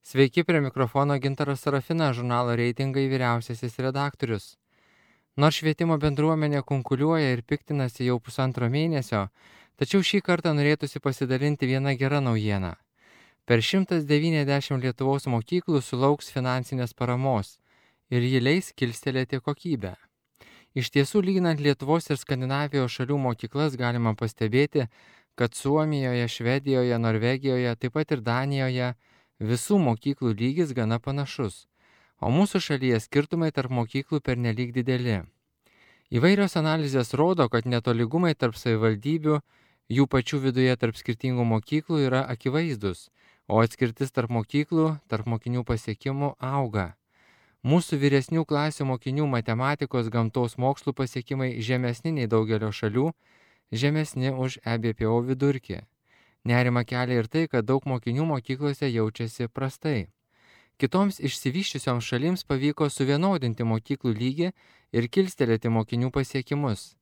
Sveiki, prie mikrofono Gintaras Sarafinas, žurnalo Reitingai vyriausiasis redaktorius. Nors švietimo bendruomenė kunkuliuoja ir piktinasi jau pusantro mėnesio, tačiau šį kartą norėtųsi pasidalinti viena gera naujiena. Per 190 Lietuvos mokyklų sulauks finansinės paramos ir ji leis kilstelėti kokybę. Iš tiesų, lyginant Lietuvos ir Skandinavijos šalių mokyklas, galima pastebėti, kad Suomijoje, Švedijoje, Norvegijoje, taip pat ir Danijoje visų mokyklų lygis gana panašus, o mūsų šalyje skirtumai tarp mokyklų pernelyg dideli. Įvairios analizės rodo, kad netolygumai tarp savivaldybių, jų pačių viduje tarp skirtingų mokyklų yra akivaizdus, o atskirtis tarp mokyklų, tarp mokinių pasiekimų auga. Mūsų vyresnių klasių mokinių matematikos, gamtos mokslų pasiekimai žemesni nei daugelio šalių, žemesni už EBPO vidurkį. Nerima kelia ir tai, kad daug mokinių mokyklose jaučiasi prastai. Kitoms išsivysčiusioms šalims pavyko suvienodinti mokyklų lygį ir kilstelėti mokinių pasiekimus.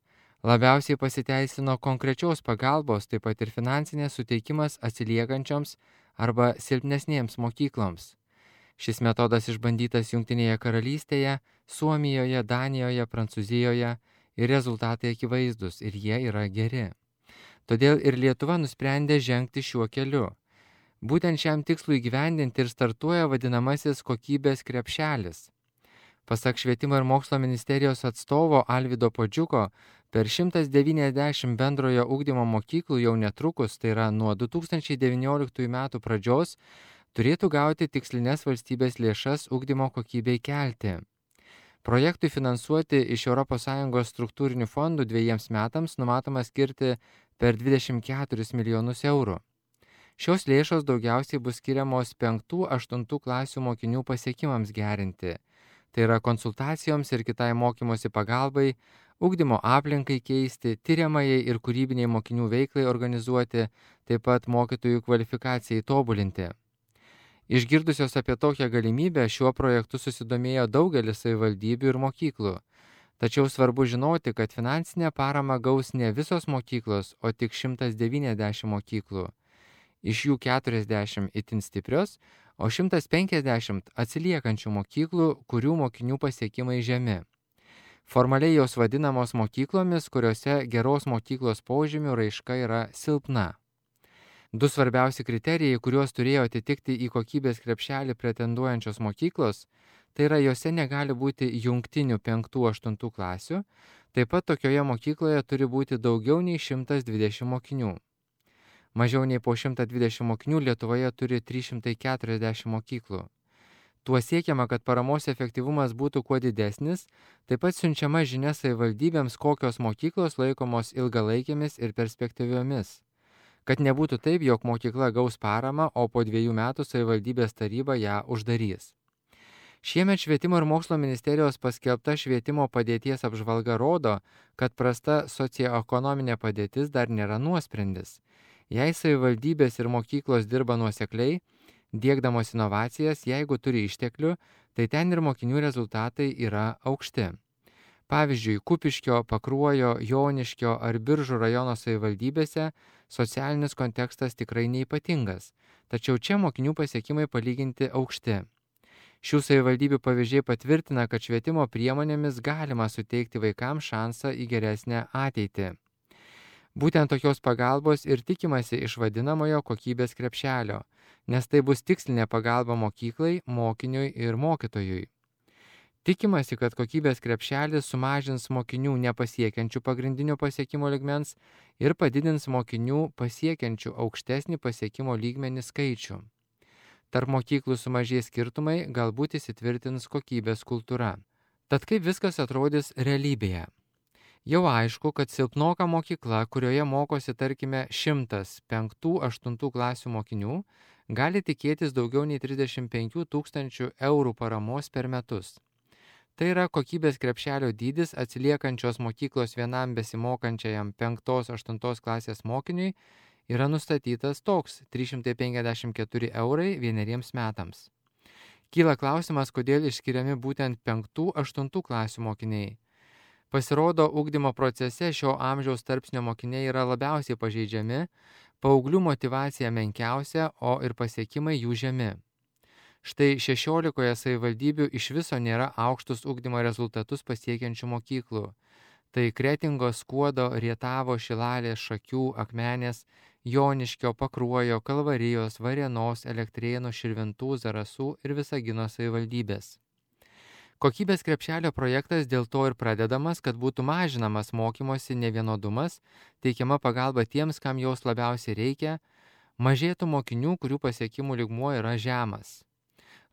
Labiausiai pasiteisino konkrečios pagalbos, taip pat ir finansinės suteikimas atsiliekančioms arba silpnesnėms mokykloms. Šis metodas išbandytas Jungtinėje karalystėje, Suomijoje, Danijoje, Prancūzijoje ir rezultatai akivaizdus ir jie yra geri. Todėl ir Lietuva nusprendė žengti šiuo keliu. Būtent šiam tikslui įgyvendinti ir startuoja vadinamasis kokybės krepšelis. Pasak Švietimo ir mokslo ministerijos atstovo Alvydo Puodžiuko, per 190 bendrojo ugdymo mokyklų jau netrukus, tai yra nuo 2019 metų pradžios, turėtų gauti tikslinės valstybės lėšas ugdymo kokybei kelti. Projektui finansuoti iš ES struktūrinių fondų 2 metams numatoma skirti per 24 milijonus eurų. Šios lėšos daugiausiai bus skiriamos 5-8 klasių mokinių pasiekimams gerinti. Tai yra konsultacijoms ir kitai mokymosi pagalbai, ugdymo aplinkai keisti, tiriamajai ir kūrybiniai mokinių veiklai organizuoti, taip pat mokytojų kvalifikacijai tobulinti. Išgirdusios apie tokią galimybę, šiuo projektu susidomėjo daugelis savivaldybių ir mokyklų. Tačiau svarbu žinoti, kad finansinę paramą gaus ne visos mokyklos, o tik 190 mokyklų. Iš jų 40 itin stiprios, o 150 atsiliekančių mokyklų, kurių mokinių pasiekimai žemi. Formaliai jos vadinamos mokyklomis, kuriuose geros mokyklos požymių raiška yra silpna. 2 svarbiausi kriterijai, kuriuos turėjo atitikti į kokybės krepšelį pretenduojančios mokyklos, tai yra jose negali būti jungtinių 5-8 klasių, taip pat tokioje mokykloje turi būti daugiau nei 120 mokinių. Mažiau nei po 120 mokinių Lietuvoje turi 340 mokyklų. Tuo siekiama, kad paramos efektyvumas būtų kuo didesnis, taip pat siunčiama žinia savivaldybėms, kokios mokyklos laikomos ilgalaikėmis ir perspektyviomis. Kad nebūtų taip, jog mokykla gaus paramą, o po 2 metų savivaldybės taryba ją uždarys. Šiemet Švietimo ir mokslo ministerijos paskelbta švietimo padėties apžvalga rodo, kad prasta socioekonominė padėtis dar nėra nuosprendis. Jei savivaldybės ir mokyklos dirba nuosekliai, diegdamos inovacijas, jeigu turi išteklių, tai ten ir mokinių rezultatai yra aukšti. Pavyzdžiui, Kupiškio, Pakruojo, Joniškio ar Biržų rajono savivaldybėse socialinis kontekstas tikrai neypatingas, tačiau čia mokinių pasiekimai palyginti aukšti. Šių savivaldybių pavyzdžiai patvirtina, kad švietimo priemonėmis galima suteikti vaikams šansą į geresnę ateitį. Būtent tokios pagalbos ir tikimasi iš vadinamojo kokybės krepšelio, nes tai bus tikslinė pagalba mokyklai, mokiniui ir mokytojui. Tikimasi, kad kokybės krepšelis sumažins mokinių nepasiekiančių pagrindinio pasiekimo lygmens ir padidins mokinių pasiekiančių aukštesnį pasiekimo lygmenį skaičių. Tarp mokyklų sumažės skirtumai, galbūt įsitvirtins kokybės kultūra. Tad kaip viskas atrodys realybėje? Jau aišku, kad silpnoka mokykla, kurioje mokosi tarkime 100 5-8 klasių mokinių, gali tikėtis daugiau nei 35 000 eurų paramos per metus. Tai yra kokybės krepšelio dydis atsiliekančios mokyklos vienam besimokančiajam 5-8 klasės mokiniui yra nustatytas toks 354 eurai 1 metams. Kyla klausimas, kodėl išskiriami būtent 5-8 klasių mokiniai. Pasirodo, ugdymo procese šio amžiaus tarpsnio mokiniai yra labiausiai pažeidžiami, paauglių motyvacija menkiausia, o ir pasiekimai jų žemi. Štai 16 savivaldybių iš viso nėra aukštus ugdymo rezultatus pasiekiančių mokyklų. Tai Kretingos, Skuodo, Rietavo, Šilalės, Šakių, Akmenės, Joniškio, Pakruojo, Kalvarijos, Varėnos, Elektrėnų, Širvintų, Zarasų ir Visagino savivaldybės. Kokybės krepšelio projektas dėl to ir pradedamas, kad būtų mažinamas mokymosi nevienodumas, teikiama pagalba tiems, kam jos labiausiai reikia, mažėtų mokinių, kurių pasiekimų lygmuo yra žemas.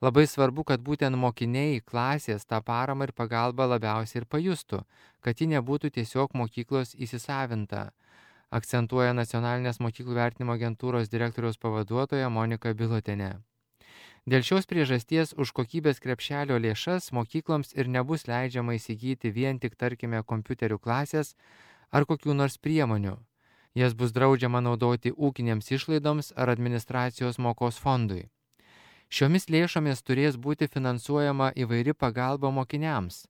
Labai svarbu, kad būtent mokiniai, klasės tą paramą ir pagalbą labiausiai ir pajustų, kad ji nebūtų tiesiog mokyklos įsisavinta, akcentuoja Nacionalinės mokyklų vertinimo agentūros direktoriaus pavaduotoja Monika Bilotienė. Dėl šios priežasties už kokybės krepšelio lėšas mokykloms ir nebus leidžiama įsigyti vien tik, tarkime, kompiuterių klasės ar kokių nors priemonių. Jas bus draudžiama naudoti ūkinėms išlaidoms ar administracijos mokos fondui. Šiomis lėšomis turės būti finansuojama įvairi pagalba mokiniams,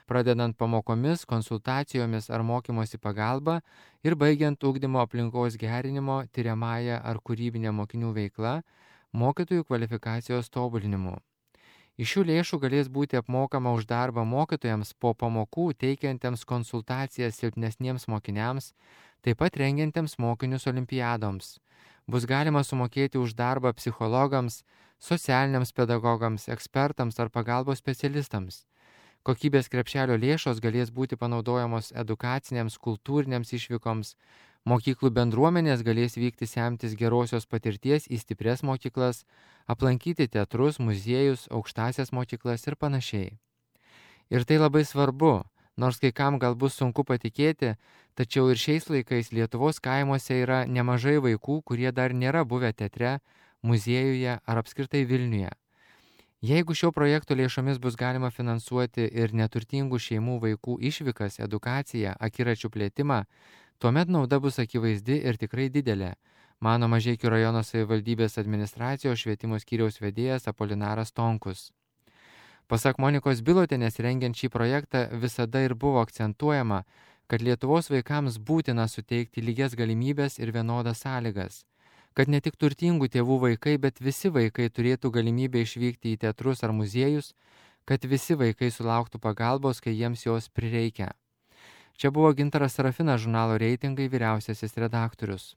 pradedant pamokomis, konsultacijomis ar mokymosi pagalba ir baigiant ugdymo aplinkos gerinimo, tiriamąją ar kūrybinę mokinių veiklą, mokytojų kvalifikacijos tobulinimu. Iš šių lėšų galės būti apmokama už darbą mokytojams po pamokų teikiantiems konsultacijas silpnesniems mokiniams, taip pat rengiantiems mokinius olimpiadoms. Bus galima sumokėti už darbą psichologams, socialiniams pedagogams, ekspertams ar pagalbos specialistams. Kokybės krepšelio lėšos galės būti panaudojamos edukacinėms, kultūrinėms išvykoms, mokyklų bendruomenės galės vykti semtis gerosios patirties į stiprias mokyklas, aplankyti teatrus, muziejus, aukštasias mokyklas ir panašiai. Ir tai labai svarbu, nors kai kam gal bus sunku patikėti, tačiau ir šiais laikais Lietuvos kaimuose yra nemažai vaikų, kurie dar nėra buvę teatre, muziejuje ar apskritai Vilniuje. Jeigu šio projekto lėšomis bus galima finansuoti ir neturtingų šeimų vaikų išvykas, edukaciją, akiračių plėtimą, tuomet nauda bus akivaizdi ir tikrai didelė, mano Mažeikių rajono savivaldybės administracijos švietimo skyriaus vedėjas Apolinaras Tonkus. Pasak Monikos Bilotienės, rengiant šį projektą visada ir buvo akcentuojama, kad Lietuvos vaikams būtina suteikti lygias galimybės ir vienodas sąlygas, kad ne tik turtingų tėvų vaikai, bet visi vaikai turėtų galimybę išvykti į teatrus ar muziejus, kad visi vaikai sulauktų pagalbos, kai jiems jos prireikia. Čia buvo Gintaras Sarafinas, žurnalo Reitingai vyriausiasis redaktorius.